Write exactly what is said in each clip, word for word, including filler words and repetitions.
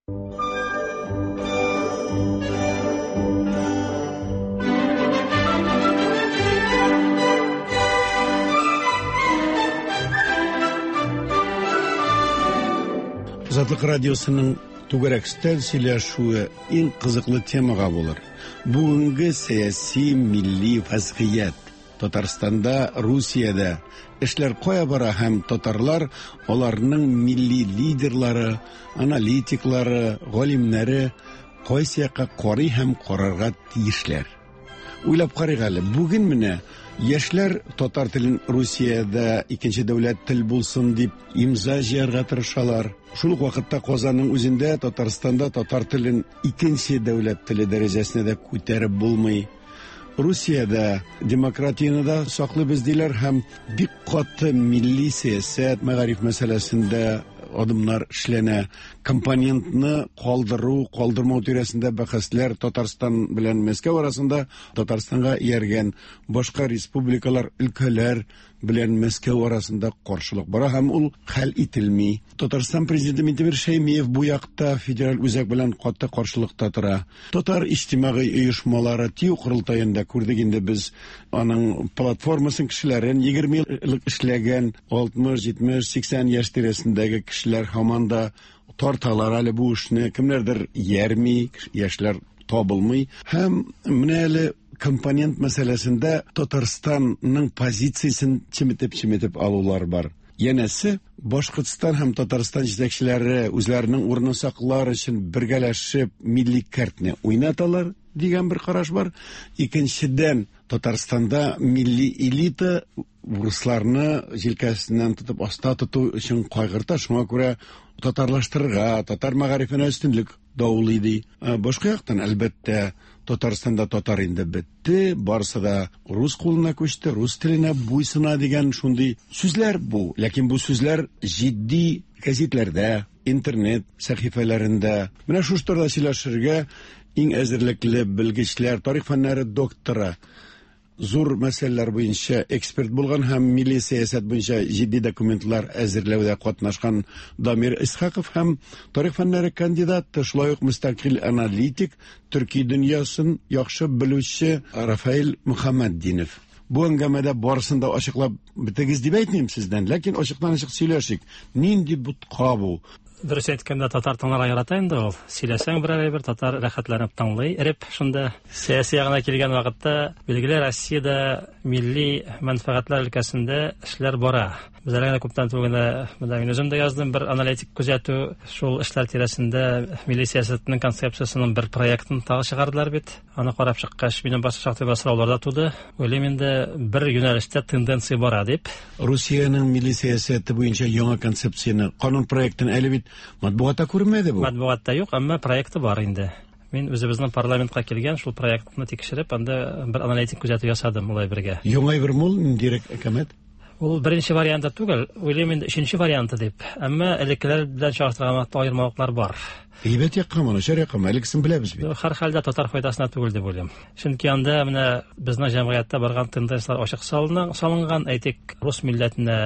Азатлык радиосының түгәрәк өстәл сөйләшүе иң кызыклы темага булыр. Бүгенге сәяси милли вазгыять. Татарстанда, Русиядә эшләр кая бара һәм татарлар, аларның милли лидерлары, аналитиклары, галимнәре кайсы якка карый һәм карарга тиешләр. Уйлап карыйк әле, бүген менә яшьләр татар телен Русиядә икенче дәүләт тел булсын дип имза җыярга тырышалар. Шул ук вакытта Казанның үзендә Татарстанда татар телен икенче дәүләт теле дәрәҗәсенә дә күтәреп булмый. Русиядә демократияне дә саклыйбыз диләр һәм бик каты милли сәясәт, мәгариф мәсьәләсендә адымнар эшләнә. Компонентны калдыру, калдырмау тирәсендә бәхәсләр Татарстан белән Мәскәү арасында, Татарстанга ияргән башка республикалар, өлкәләр белән Мәскәү арасында каршылык бара һәм ул хәл ителми. Татарстан президенты Минтимер Шәймиев бу якта федераль үзәк белән каты каршылыкта тора. Татар иҗтимагый оешмалары ТИҮ корылтаенда күрдек инде без аның платформасын, кешеләрен егерме ел элек эшләгән алтмыш, җитмеш, сиксән яшь тирәсендәге кешеләр һаман да тарталар әле бу эшне. Кемнәрдер ярми, яшьләр табылмый. Һәм менә әле компонент мәсьәләсендә Татарстанның позициясен чеметеп-чеметеп алулар бар. Янәсе, Башкортстан һәм Татарстан җитәкчеләре үзләренең урынын саклар өчен бергәләшеп милли кәртне уйнаталар дигән бер караш бар. Икенчедән, Татарстанда милли элита урысларны җилкәсеннән тотып аста тоту өчен кайгырта, шуңа күрә татарлаштырырга, татар мәгарифенә өстенлек даулый ди. Ә, башка яктан, әлбәттә, Татарстанда татар инде бетте, барысы да рус кулына күчте, рус теленә буйсына дигән шундый сүзләр бу. Ләкин бу сүзләр җитди гәзитләрдә, интернет сәхифәләрендә. Менә шушы турыда сөйләшергә иң әзерлекле белгечләр, тарих фәннәре докторы, зур мәсьәләләр буенча эксперт булган һәм милли сәясәт буенча җитди документлар әзерләүдә катнашкан Дамир Исхаков һәм тарих фәннәре кандидаты, шулай ук мөстәкыйль аналитик, төрки дөньясын яхшы белүче Рафаэль Мөхәммәтдинов. Бу әңгәмәдә барысын да ачыклап бетегез дип әйтмим сездән, ләкин ачыктан-ачык сөйләшик. Нинди бутка бу? Дөрес әйткәндә, татар тыңларга ярата инде ул. Сөйләсәң берәр әйбер, татар рәхәтләнеп тыңлый, эреп шунда. Сәяси ягына килгән вакытта, билгеле, Россиядә милли мәнфәгатьләр өлкәсендә эшләр бара. Без әле генә күптән түгел генә, менә мин үзем дә яздым бер аналитик күзәтү, шул эшләр тирәсендә милли сәясәтнең концепциясенең бер проектын тагы чыгардылар бит. Аны карап чыккач, минем башка шактый бер сораулар да туды. Уйлыйм инде, бер юнәлештә тенденция бара дип. Русиянең милли сәясәте буенча яңа концепцияне, канун проектын әле бит матбугатта күрмәде бу. Матбугатта юк, әмма проекты бар инде. Мин үзебезнең парламентка килгән шул проектны тикшереп, анда бер аналитик күзәтү ясадым улай бергә. Яңа бер мул ниндирәк әкәмәт? Ул беренче варианты түгел, уйлыйм инде өченче варианты дип. Әмма элеккеләр белән чагыштырган вакытта аермалыклар бар. Әйбәт яккамы, начар яккамы, элеккесен беләбез бит. Һәр хәлдә татар файдасына түгел дип уйлыйм. Чөнки анда менә безнең җәмгыятьтә барган тенденцияләр ачык салына-, салынган, әйтик, рус милләтенә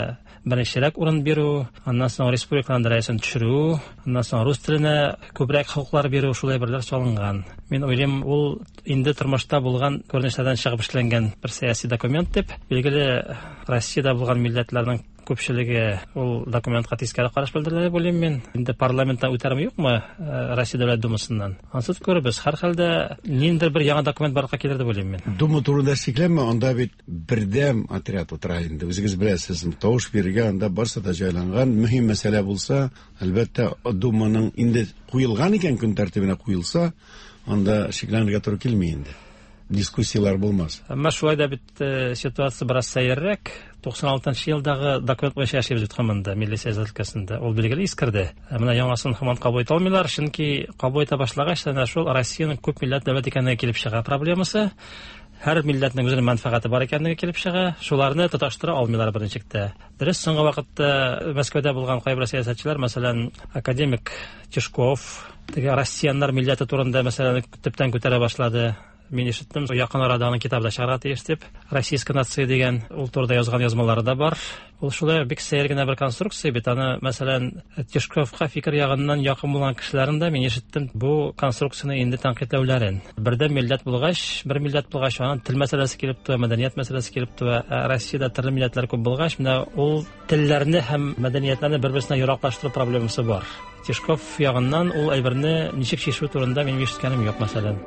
беренчерәк урын бирү, аннан соң республиканың дәрәҗәсен төшерү, аннан соң рус теленә күбрәк хокуклар бирү, шулай берләр салынган. Мин уйлыйм, ул инде тормышта булган күренешләрдән чыгып эшләнгән бер сәяси документ дип. Билгеле, Россиядә булган милләтләрнең күпчелеге ул документка тискәре караш белдерде дип уйлыйм мин. Инде парламенттан үтәрме юкмы, э, Россия Дәүләт Думасыннан? Ансыз күрербез. Һәр хәлдә ниндидер бер яңа документ барлыкка килер дип уйлыйм мин. Дума турында шикләнмә, анда бит бердәм отряд утыра инде. Үзегез беләсез, тавыш бирергә анда барсы да җайланган. Мөһим мәсьәлә булса, әлбәттә, Думаның инде куелган икән, көн тәртибенә куелса, анда шикләнергә туры килми инде. Дискуссиялар булмас. Әмма шулай да бит, э, ситуация бераз сәеррәк. Туксан алтынчы елдагы документ буенча яшибез бит һаман да милли сәясәт өлкәсендә. Ул билгеле искерде. Ә менә яңасын һаман кабул итә алмыйлар, чөнки кабул итә башлагач, әнә шул Россиянең күп милләт дәүләт икәнлеге килеп чыга проблемасы. Һәр милләтнең үзенең мәнфәгате бар икәнлеге килеп чыга. Шуларны тоташтыра алмыйлар берничек тә. Дөрес, соңгы вакытта Мәскәүдә булган кайбер сәясәтчеләр, мәсәлән, академик Тишков, теге россияннар милләте турында мәсьәләне төптән күтәрә башлады. Мин ишеттем, якын арада аның китабы да чыгарга тиеш дип. Российская нация дигән ул турыда язган язмалары да бар. Ул шулай бик сәер генә бер конструкция бит. Аны, мәсәлән, Тишковка фикер ягыннан якын булган кешеләрен дә мин ишеттем бу конструкцияне инде тәнкыйтьләүләрен. Бердәм милләт булгач, бер милләт булгач, аның тел мәсьәләсе килеп туа, мәдәният мәсьәләсе килеп туа. Россиядә төрле милләтләр күп булгач, менә ул телләрне һәм мәдәниятләрне бер-берсенә ераклаштыру проблемасы бар. Тишков ягыннан ул әйберне ничек чишү турында минем ишеткәнем юк, мәсәлән.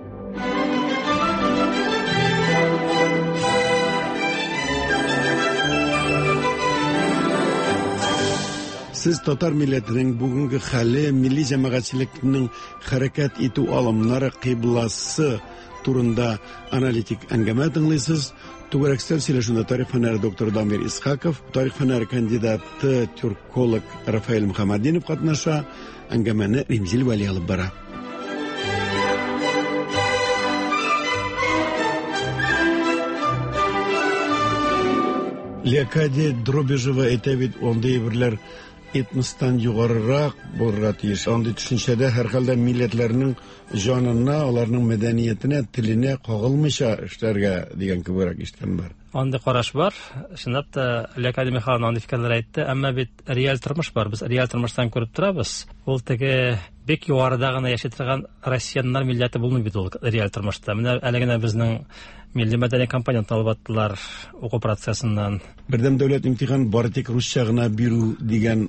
Сез татар милләтенең бүгенге хәле, милли җәмәгатьчелекнең хәрәкәт итү алымнары, кыйбласы турында аналитик әңгәмә тыңлыйсыз. Түгәрәк өстәл сөйләшүендә тарих фәннәре докторы Дамир Исхаков, тарих фәннәре кандидаты, тюрколог Рафаэль Мөхәммәтдинов катнаша. Әңгәмәне Римзил Вәли алып бара. Леокадия Дробижева әйтә бит, андый әйберләр этностан югарырак булырга тиеш. Андый төшенчәдә һәр хәлдә милләтләрнең җанына, аларның мәдәниятенә, теленә кагылмыйча эшләргә дигән кебек ишеткән бар. Андый караш бар. Чынлап та Леокадия Михайловна андый фикерләр әйтте, әмма бит реаль тормыш бар. Без реаль тормыштан күреп торабыз. Ул теге бик югарыда гына яши торган россияннар милләте булмый бит ул реаль тормышта. Менә әле генә безнең милли мәдәни компонент алып аттылар уку процессыннан. Бердәм дәүләт имтихан бары тик русча гына бирү дигән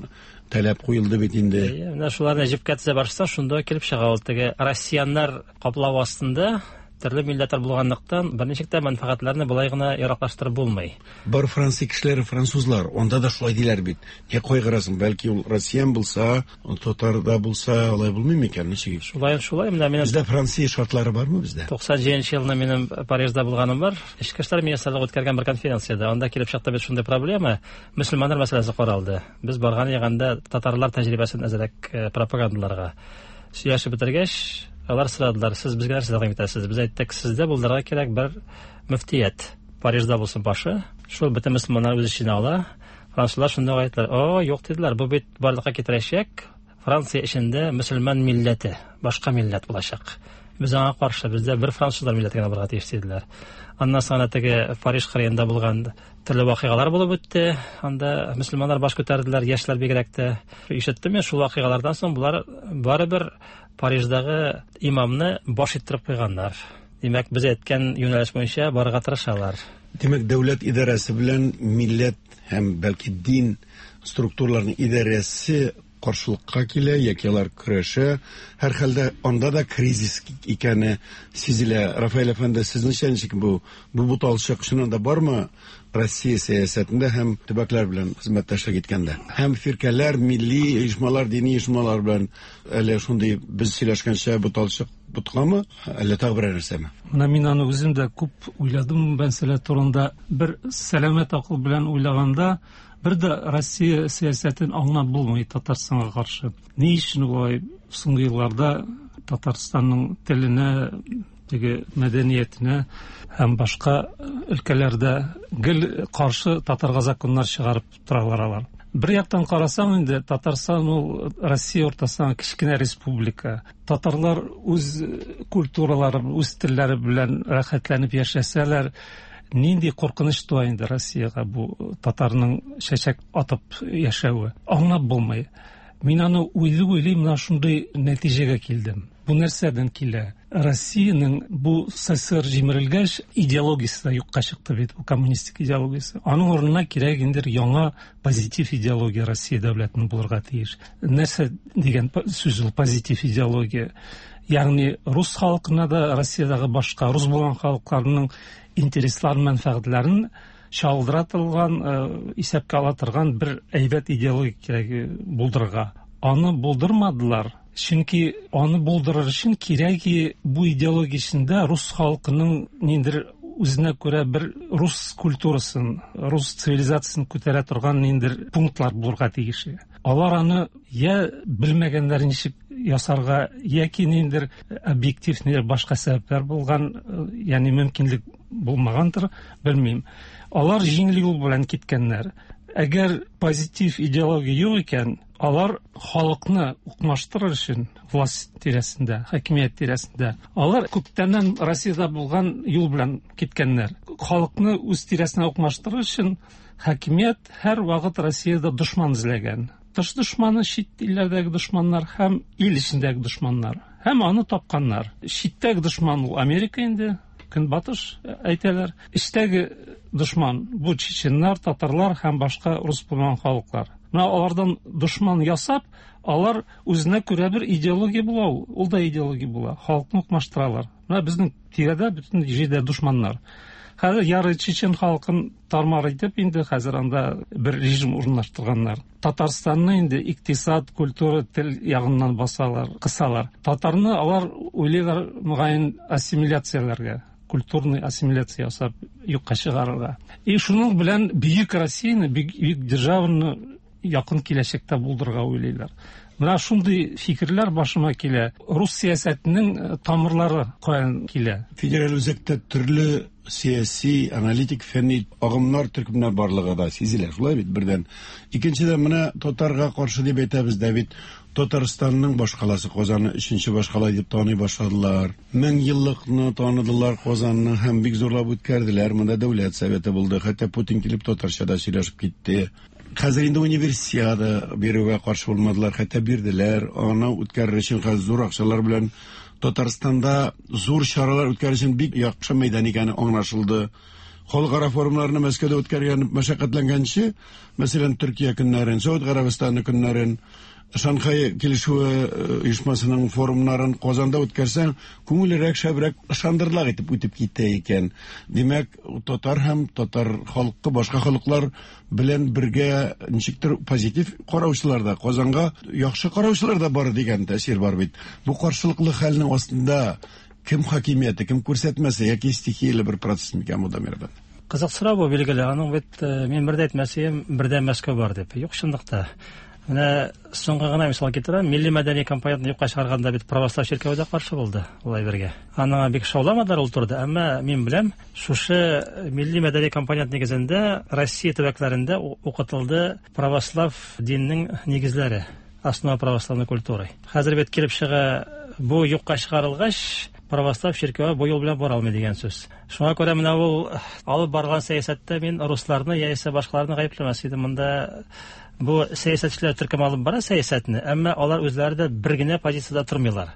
таләп куелды бит инде. Менә шуларны җепкә тезә барсаң, шунда килеп чыга ул теге россияннар каплау астында төрле милләтләр булганлыктан берничек тә мәнфәгатьләрне болай гына яраклаштырып булмый. Бар Франция кешеләре французлар, анда да шулай диләр бит. Не кайгырасың, бәлки ул россиян булса, татар да булса, алай булмый микән, ничек? Шулай, шулай, менә минем Бездә Франция шартлары бармы бездә? туксан җиденче елны минем Парижда булганым бар. Эчке эшләр министрлыгы үткәргән бер конференциядә. Анда килеп чыкты бит шундый проблема, мөселманнар мәсьәләсе каралды. Без барган ягында татарлар тәҗрибәсен әзрәк пропагандаларга сөйләшеп бетергәч, алар сорадылар, сез безгә нәрсә тәкъдим итәсез? Без әйттек, сездә булдырырга кирәк бер мөфтият. Парижда булсын башы, шул бөтен мөселманнар үз эченә ала. Французлар шунда ук әйттеләр, о, юк диделәр, бу бит барлыкка китерәчәк Франция эчендә мөселман милләте, башка милләт булачак. Без аңа каршы, бездә бер французлар милләте генә булырга тиеш диделәр. Аннан соң теге Париж кырыенда булган төрле вакыйгалар булып үтте. Анда мөселманнар баш күтәрделәр, яшьләр бигрәк тә. Ишеттем мин, шул вакыйгалардан соң булар барыбер Париждагы имамны баш иттереп куйганнар. Димәк, без әйткән юнәлеш буенча барырга тырышалар. Димәк, дәүләт идарәсе белән милләт һәм бәлки дин структураларының идарәсе каршылыкка килә, яки алар көрәшә. Һәр хәлдә анда да кризис икәне сизелә. Рафаэль әфәнде, сезнеңчә ничек бу? Бу буталчык чыннан да бармы Россия сәясәтендә һәм төбәкләр белән хезмәттәшлек иткәндә? Һәм фиркәләр, милли оешмалар, дини оешмалар белән әле шундый без сөйләшкәнчә буталчык буткамы, әллә тагы берәр нәрсәме? Менә мин аны үзем дә күп уйладым бу мәсьәлә турында. Бер сәламәт акыл белән уйлаганда, бер дә Россия сәясәтен аңлап булмый Татарстанга каршы. Ни өчен улай соңгы елларда Татарстанның теленә, теге мәдәниятенә һәм башка өлкәләрдә гел каршы татарга законнар чыгарып торалар алар. Бер яктан карасаң инде Татарстан ул Россия уртасындагы кечкенә республика. Татарлар үз культуралары, үз телләре белән рәхәтләнеп яшәсәләр, нинди куркыныч туа инде Россиягә бу татарның чәчәк атып яшәве. Аңлап булмый. Мин аны уйлый-уйлый менә шундый нәтиҗәгә килдем. Бу нәрсәдән килә? Россиянең бу СССР җимерелгәч идеологиясе дә юкка чыкты бит, бу коммунистик идеологиясе. Аның урынына кирәк инде яңа позитив идеология Россия дәүләтенең булырга тиеш. Нәрсә дигән сүз ул позитив идеология? Ягъни рус халкына да Россиядәге башка рус булган халыкларның интересларын, мәнфәгатьләрен чагылдыра торган, исәпкә ала торган бер әйбәт идеология кирәк булдырырга. Аны булдырмадылар. Чөнки аны булдырыр өчен кирәк бу идеология эчендә рус халкының ниндидер үзенә күрә бер рус культурасын, рус цивилизациясын күтәрә торган ниндидер пунктлар булырга тиеш. Алар аны я белмәгәннәр ничек ясарга, яки ниндидер объектив ниндидер башка сәбәпләр булган, ягъни мөмкинлек булмагандыр, белмим. Алар җиңел юл белән киткәннәр. Әгәр позитив идеология юк икән, Алар халыкны укмаштырыр өчен власть тирәсендә, хакимият тирәсендә, алар күптәннән Россиядә булган юл белән киткәннәр. Халыкны үз тирәсенә укмаштырыр өчен хакимият һәр вакыт Россиядә дошман эзләгән. Тыш дошманы, чит илләрдәге дошманнар һәм ил эчендәге дошманнар. Һәм аны тапканнар. Читтәге дошман ул Америка инде, Көнбатыш әйтәләр. Эчтәге дошман бу чеченнар, татарлар һәм башка рус булмаган халыклар. Менә алардан дошман ясап, алар үзенә күрә бер идеология була ул. Ул да идеология була. Халыкны укмаштыралар. Менә безнең тирәдә бөтен җирдә дошманнар. Хәзер ярый чечен халкын тармар итеп инде хәзер анда бер режим урнаштырганнар. Татарстанны инде икътисад, культура, тел ягыннан басалар, кысалар. Татарны алар уйлыйлар мөгаен ассимиляцияләргә, культурный ассимиляция ясап юкка чыгарырга. И шуның белән бөек Россияне, бөек державаны якын киләчәктә булдырырга уйлыйлар. Менә шундый фикерләр башыма килә. Рус сәясәтенең тамырлары каян килә? Федераль үзәктә төрле сәяси, аналитик, фәнни агымнар, төркемнәр барлыгы да сизелә. Шулай бит бердән. Икенчедән, менә татарга каршы дип әйтәбез дә бит, Татарстанның башкаласы Казанны өченче башкала дип таный башладылар. Мең еллыкны таныдылар Казанны һәм бик зурлап үткәрделәр. Монда дәүләт советы булды. Хәтта Путин килеп татарча да сөйләшеп китте. Хәзер инде универсиада бирүгә каршы булмадылар, хәтта бирделәр. Аны үткәрер өчен хәзер зур акчалар белән Татарстанда зур чаралар үткәрер өчен бик яхшы мәйдан икәне аңлашылды. Халыкара форумнарны Мәскәүдә үткәргән мәшәкатьләнгәнче, мәсәлән, Төркия көннәрен, Сауд Гарәбистаны көннәрен, Шанхай килешүе оешмасының форумнарын Казанда үткәрсәң, күңеллерәк, шәбрәк, ышандырырлык итеп үтеп китә икән. Димәк, татар һәм татар халкы башка халыклар белән бергә ничектер позитив караучылар да, Казанга яхшы караучылар да бар дигән тәэсир бар бит. Бу каршылыклы хәлнең астында кем хакимияте, кем күрсәтмәсе яки стихияле бер процесс микән бу, Дамир әфәнде? Кызык сорау бу, билгеле. Аның бит мин бер дә әйтмәсем, бердән Мәскәү бар дип. Юк, чынлыкта. Менә соңгы гына мисал китерәм, милли мәдәни компонентны юкка чыгарганда бит православ чиркәве дә каршы булды улай бергә. Аңа бик шауламадылар ул турыда, әмма мин беләм, шушы милли мәдәни компонент нигезендә Россия төбәкләрендә укытылды православ диннең нигезләре, основа православной культуры. Хәзер бит килеп чыга, бу юкка чыгарылгач, православ чиркәве бу юл белән бара алмый дигән сүз. Шуңа күрә менә ул алып барган сәясәттә мин русларны яисә башкаларны гаепләмәс идем. Монда бу сәясәтчеләр төркем алып бара сәясәтне, әмма алар үзләре дә бер генә позициядә тормыйлар.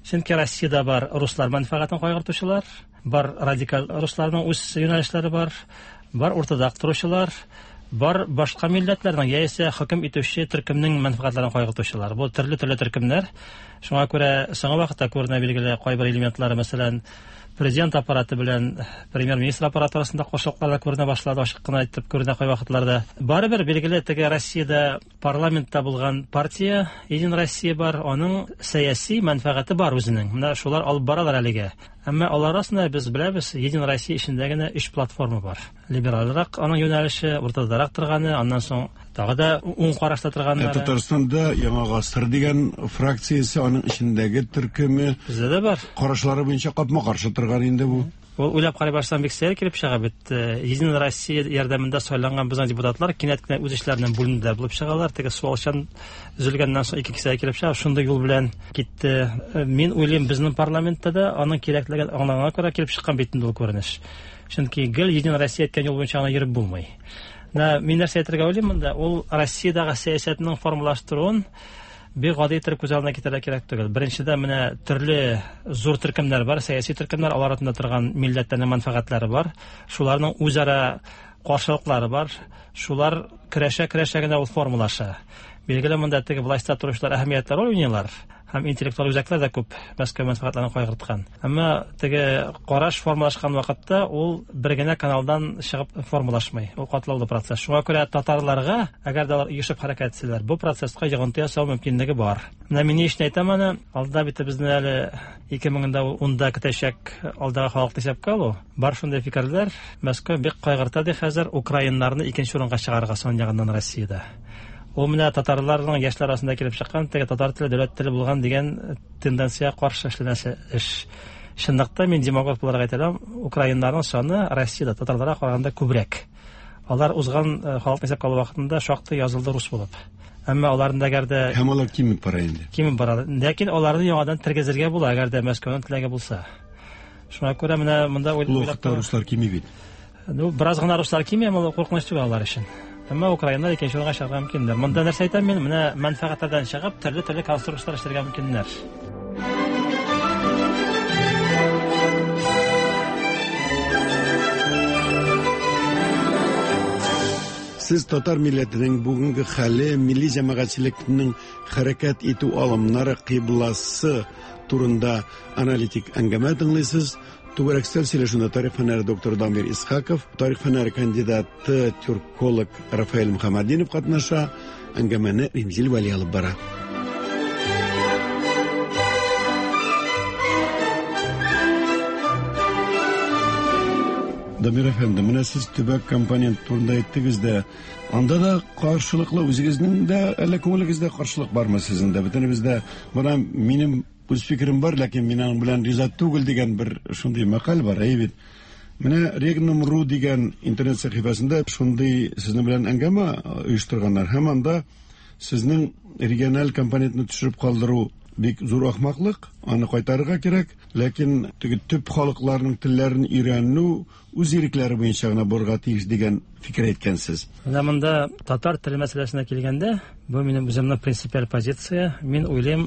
Чөнки Россиядә бар руслар мәнфәгатен кайгыртучылар, бар радикаль русларның үз юнәлешләре бар, бар уртада торучылар, бар башка милләтләрнең яисә хөкем итүче төркемнең мәнфәгатьләрен кайгыртучылар. Бу төрле-төрле төркемнәр. Шуңа күрә соңгы вакытта күренә билгеле кайбер элементлары, мәсәлән, президент аппараты белән премьер-министр аппараты арасында кошылыклар да күренә башлады, ачык кына әйтеп күренә кай вакытларда. Барыбер билгеле теге Россиядә парламентта булган партия Единая Россия бар, аның сәяси мәнфәгате бар үзенең. Менә шулар алып баралар әлегә. Әмма алар арасында без беләбез, Единая Россия эчендә генә өч платформа бар. Либералрак аның юнәлеше, уртадарак торганы, аннан соң тагы да уң карашта торганнары. Татарстанда Яңа гасыр дигән фракциясе, аның эчендәге төркеме бездә дә бар. Карашлары буенча капма-каршы торган инде бу. Ул уйлап карый башласаң бик сәер килеп чыга бит. Единая Россия ярдәмендә сайланган безнең депутатлар кинәт кенә үз эшләреннән бүленделәр булып чыгалар. Теге суалчан өзелгәннән соң ике кисәгә килеп чыга, шундый юл белән китте. Мин уйлыйм, безнең парламентта да аның кирәклеген аңлаганга күрә килеп чыккан бит инде ул күренеш. Чөнки гел Единая Россия әйткән юл буенча гына йөреп булмый. Менә мин нәрсә әйтергә уйлыйм монда, ул Россиядәге сәясәтнең формалаштыруын бик гади итеп күз алдына китерергә кирәк түгел. Беренчедән, менә төрле зур төркемнәр бар, сәяси төркемнәр, алар артында торган милләтләрнең мәнфәгатьләре бар, шуларның үзара каршылыклары бар, шулар көрәшә-көрәшә генә ул формалаша. Билгеле, монда теге властьта торучылар әһәмиятле роль уйныйлар, һәм интеллектуаль үзәкләр дә күп Мәскәү мәнфәгатьләрен кайгырткан. Әмма теге караш формалашкан вакытта ул бер генә каналдан чыгып формалашмый. Ул катлаулы процесс. Шуңа күрә татарларга, әгәр дә алар оешып хәрәкәт итсәләр, бу процесска йогынты ясау мөмкинлеге бар. Менә мин ни өчен әйтәм аны, алда бит безне әле ике мең унда көтәчәк алдагы халыкны исәпкә алу. Бар шундый фикерләр, Мәскәү бик кайгырта ди хәзер украиннарны икенче урынга чыгарырга сан ягыннан Россиядә. Ул менә татарларның яшьләр арасында килеп чыккан теге татар теле дәүләт теле булган дигән тенденция каршы эшләнәсе эш. Чынлыкта мин демагог буларак әйтә алам, украиннарның саны Россиядә татарларга караганда күбрәк. Алар узган халыкны исәпкә алу вакытында шактый язылды рус булып. Әмма аларны әгәр дә һәм алар кимеп бара инде. Кимеп бара. Ләкин аларны яңадан тергезергә була, әгәр дә Мәскәүнең теләге булса. Шуңа күрә менә монда уйлап руслар кими бит. Ну, бераз гына руслар кими, әмма куркыныч түгел алар өчен. Әмма украиннар икенче урынга чыгарга мөмкиннәр. Монда нәрсә әйтәм мин? Менә мәнфәгатьләрдән чыгып, төрле-төрле конструкцияләр эшләргә мөмкиннәр. Сез татар милләтенең бүгенге хәле, милли җәмәгатьчелекнең хәрәкәт итү алымнары, кыйбласы турында аналитик әңгәмә тыңлыйсыз. Түгәрәк өстәл сөйләшүендә тарих фәннәре докторы Дамир Исхаков, тарих фәннәре кандидаты, тюрколог Рафаэль Мөхәммәтдинов катнаша. Әңгәмәне Римзил Вәли алып бара. Дамир әфәнде, менә сез төбәк компонент турында әйттегез дә, анда да каршылыклы үзегезнең дә, әллә күңелегездә каршылык бармы сезнең дә? Бөтенебездә бына минем үз фикерем бар, ләкин мин аның белән риза түгел дигән бер шундый мәкаль бар, әй бит. Менә Regnum точка ру дигән интернет сәхифәсендә шундый сезнең белән әңгәмә оештырганнар һәм анда сезнең региональ компонентны төшереп калдыру бик зур ахмаклык, аны кайтарырга кирәк, ләкин теге төп халыкларның телләрен өйрәнү үз ирекләре буенча гына булырга тиеш дигән фикер әйткәнсез. Менә монда татар теле мәсьәләсенә килгәндә, бу минем үземнең принципиаль позиция. Мин уйлыйм,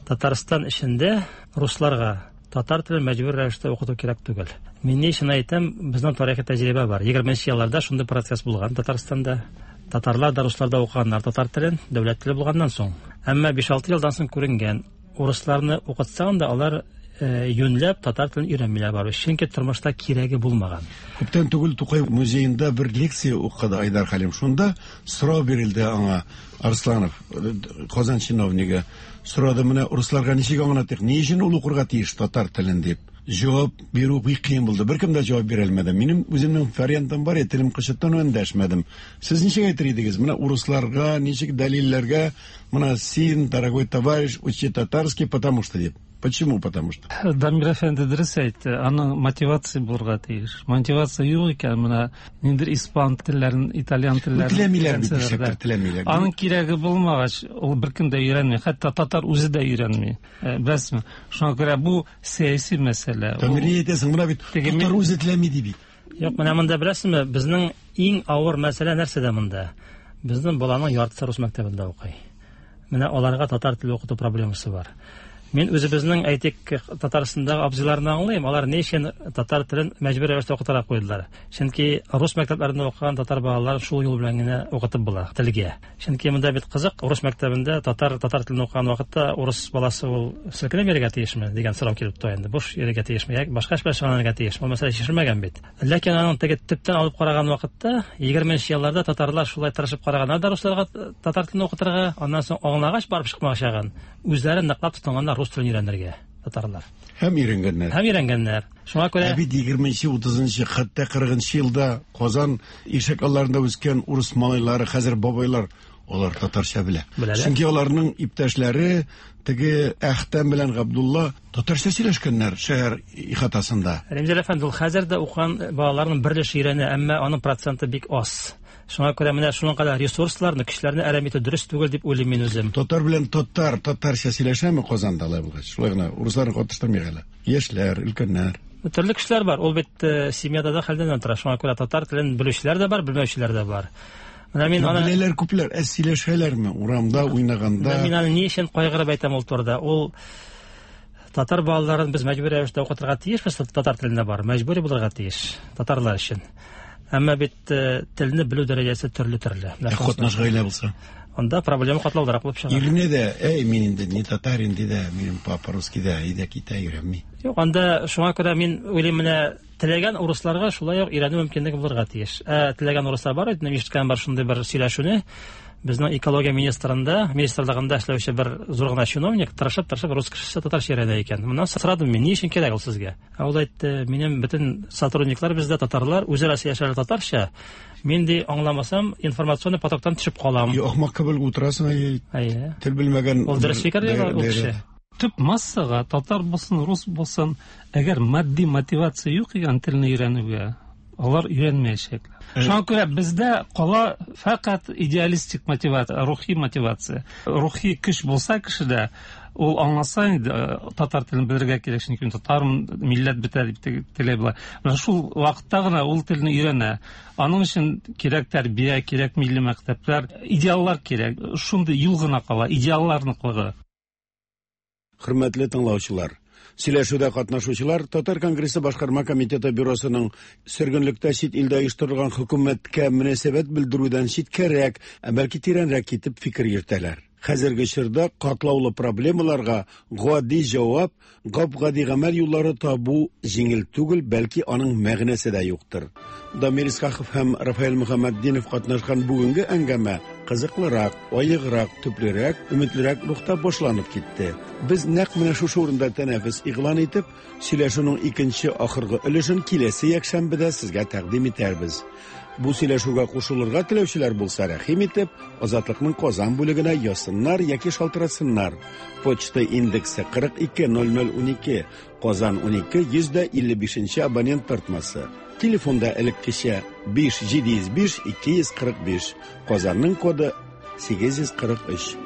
Татарстан эчендә русларга татар телен мәҗбүр рәвештә укыту кирәк түгел. Мин ни өчен әйтәм, безнең тарихи тәҗрибә бар. егерменче елларда шундый процесс булган Татарстанда. Татарлар да руслар да укыганнар татар телен, дәүләт теле булганнан соң. Әмма биш-алты елдан соң күренгән, урысларны укытсаң да алар юньләп татар телен өйрәнмиләр барыбер. Чөнки тормышта кирәге булмаган. Күптән түгел Тукай музеенда бер лекция укыды Айдар Хәлим. Шунда сорау бирелде аңа Арсланов, Казан чиновнигы. Сорады, менә урысларга ничек аңлатыйк, ни өчен ул укырга тиеш татар телен дип. Җавап бирү бик кыен булды. Беркем дә җавап бирә алмады. Минем үземнең вариантым бар, телем кычыттан эндәшмәдем. Сез ничек әйтер идегез? Менә урысларга ничек дәлилләргә, менә син, дорогой товарищ, учи татарский, потому что дип. Почему потому что? Дамир әфәнде дөрес әйтте. Аның мотивация булырга тиеш. Мотивация юк икән, менә ниндидер испан телләрен, итальян телләрен теләмиләр бит, нишләптер теләмиләр. Аның кирәге булмагач, ул беркем дә өйрәнми, хәтта татар үзе дә өйрәнми. Беләсезме? Шуңа күрә бу сәяси мәсьәлә. Дамир, ни әйтәсең? Менә бит татар үзе теләми ди бит. Юк, менә монда беләсезме, безнең иң авыр мәсьәлә нәрсәдә монда? Безнең баланың яртысы рус мәктәбендә укый. Менә аларга татар теле укыту проблемасы бар. Мин үзебезнең, әйтик, Татарстандагы абзыйларны аңлыйм, алар ни өчен татар телен мәҗбүр рәвештә укытырга куйдылар. Чөнки рус мәктәпләрендә укыган татар балаларын шул юл белән генә укытып була телгә. Чөнки монда бит кызык, рус мәктәбендә татар татар телен укыган вакытта урыс баласы ул селкенеп йөрергә тиешме дигән сорау килеп туа инде. Буш йөрергә тиешме, яки башка эш белән шөгыльләнергә тиешме? Бу мәсьәлә чишелмәгән бит. Ләкин аның теге төптән алып караган вакытта егерменче елларда татарлар шулай тырышып караганнар да русларга татар телен укытырга, аннан соң аңлагач барып чыкмагачагын, үзләре ныклап тотынганнар рус телен өйрәнергә татарлар. Һәм өйрәнгәннәр. Һәм өйрәнгәннәр. Шуңа күрә Ә бит егерменче, утызынчы, хәтта кырыгынчы елда Казан ишек алларында үскән урыс малайлары, хәзер бабайлар, алар татарча белә. Чөнки аларның иптәшләре теге Әхтәм белән Габдулла татарча сөйләшкәннәр шәһәр ихатасында. Римзил әфәнде, ул хәзер дә укыган балаларның бер өлеше өйрәнә, әмма аның проценты бик аз. Шуңа күрә менә шуның кадәр ресурсларны, көчләрне әрәм итү дөрес түгел дип уйлыйм мин үзем. Татар белән татар татарча сөйләшәме Казанда алай булгач? Шулай гына урысларны катыштырмыйк әле. Яшьләр, өлкәннәр. Төрле кешеләр бар. Ул бит семьяда да хәлдән тора. Шуңа күрә татар телен белүчеләр дә бар, белмәүчеләр дә бар. Менә мин аны беләләр күпләр, ә сөйләшәләрме урамда уйнаганда? Мин аны ни өчен кайгырып әйтәм ул турыда? Ул татар балаларын без мәҗбүри рәвештә укытырга тиешбез, татар телендә бар, мәҗбүри булырга тиеш татарлар өчен. Әмма бит телне белү дәрәҗәсе төрле-төрле. Ә катнаш гаилә булса? Анда проблема катлаулырак булып чыга. Ирне дә, әй, мин инде не татарин ди дә, минем папа русский да, әйдә китә өйрәнми. Юк, анда шуңа күрә мин уйлыйм, менә теләгән урысларга шулай ук өйрәнү мөмкинлеге булырга тиеш. Ә теләгән урыслар бар, инде ишеткән бар шундый бер сөйләшүне. Безнең экология министрында, министрлыгында эшләүче бер зур гына чиновник тырышып-тырышып рус кешесе татарча өйрәнә икән. Моннан сорадым мин, ни өчен кирәк ул сезгә? Ә ул әйтте, минем бөтен сотрудниклар бездә татарлар, үзара сөйләшәләр татарча. Мин ди аңламасам, информационный потоктан төшеп калам. Юк, ахмак кебек утырасың, әй. Тел белмәгән. Ул дөрес фикер ул кеше. Төп массага татар булсын, рус булсын, әгәр матди мотивация юк икән телне өйрәнүгә, Алар өйрәнмәячәкләр. Шуңа күрә бездә кала фәкать идеалистик мотивация, рухи мотивация. Рухи көч булса кешедә, ул аңласа инде татар телен белергә кирәк, чөнки мин татармын, милләт бетә дип теләй була. Менә шул вакытта гына ул телне өйрәнә. Аның өчен кирәк тәрбия, кирәк милли мәктәпләр, идеаллар кирәк. Шундый юл гына кала, идеаллар ныклыгы. Хөрмәтле тыңлаучылар, сөйләшүдә катнашучылар Татар конгрессы башкарма комитеты бюросының сөргенлектә чит илдә оештырылган хөкүмәткә мөнәсәбәт белдерүдән читкәрәк, ә бәлки тирәнрәк китеп фикер йөртәләр. Хәзерге чорда катлаулы проблемаларга гади җавап, гап-гади гамәл юллары табу җиңел түгел, бәлки аның мәгънәсе дә юктыр. Дамир Исхаков һәм Рафаэль Мөхәммәтдинов катнашкан бүгенге әңгәмә кызыклырак, аеграк, төплерәк, өметлерәк рухта башланып китте. Без нәкъ менә шушы урында тәнәфес игълан итеп, сөйләшүнең икенче ахыргы өлешен киләсе якшәмбедә сезгә тәкъдим итәрбез. Бу сөйләшүгә кушылырга теләүчеләр булса, рәхим итеп, Азатлыкның Казан бүлегенә язсыннар яки шалтыратсыннар. Почта индексы кырык ике ноль ноль унике, Казан унике йөз дә илле бишенче абонент тартмасы. Телефонда элеккечә биш җиде йөз биш ике йөз кырык биш, Казанның коды сигез йөз кырык өч.